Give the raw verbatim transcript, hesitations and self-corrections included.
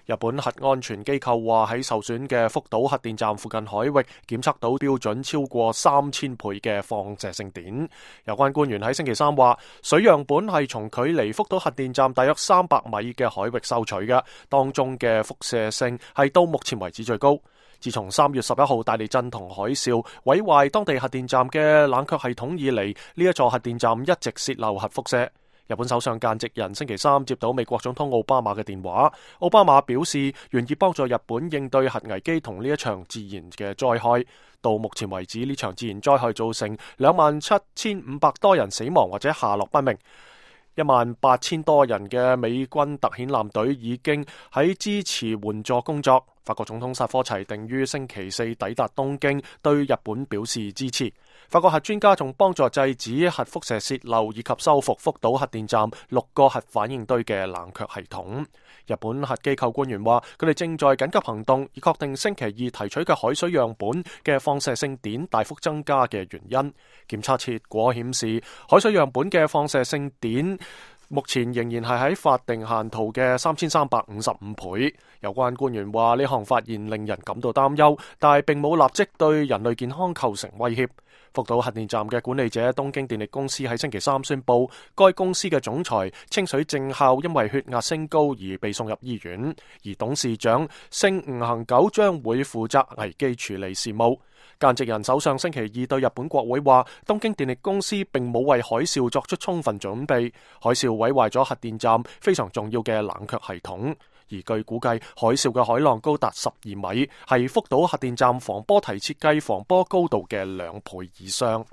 日本核安全機構話喺受損嘅福島核電站附近海域檢測到標準超過三千倍嘅放射性碘。有關官員喺星期三話，水樣本係從距離福島核電站大約三百米嘅海域收取嘅，當中嘅輻射性係到目前為止最高。自從三月十一號大地震同海嘯毀壞當地核電站嘅冷卻系統以嚟，呢一座核電站一直泄漏核輻射。日本首相菅直人星期三接到美國總統奧巴馬嘅電話，奧巴馬表示願意幫助日本應對核危機同呢一場自然嘅災害。到目前為止，呢場自然災害造成兩萬七千五百多人死亡或者下落不明。一萬八千多人嘅美軍特遣艦隊已經喺支持援助工作。法國總統薩科齊定於星期四抵達東京，對日本表示支持。法國核專家仲幫助制止核輻射洩漏以及修復福島核電站六個核反應堆嘅冷卻系統。日本核機構官員話，佢哋正在緊急行動，以確定星期二提取嘅海水樣本嘅放射性碘大幅增加嘅原因。檢測結果顯示，海水樣本嘅放射性碘目前仍然係喺法定限度嘅三千三百五十五倍。有關官員話，呢項發現令人感到擔憂，但係並冇立即對人類健康構成威脅。福島核電站嘅管理者東京電力公司喺星期三宣布，該公司嘅總裁清水正孝因為血壓升高而被送入醫院，而董事長勝吳恒久將會負責危機處理事務。菅直人首相星期二對日本國會話，東京電力公司並冇為海嘯作出充分準備，海嘯毀壞咗核電站非常重要嘅冷卻系統。而據估計，海嘯嘅海浪高達十二米，係福島核電站防波堤設計防波高度嘅兩倍以上。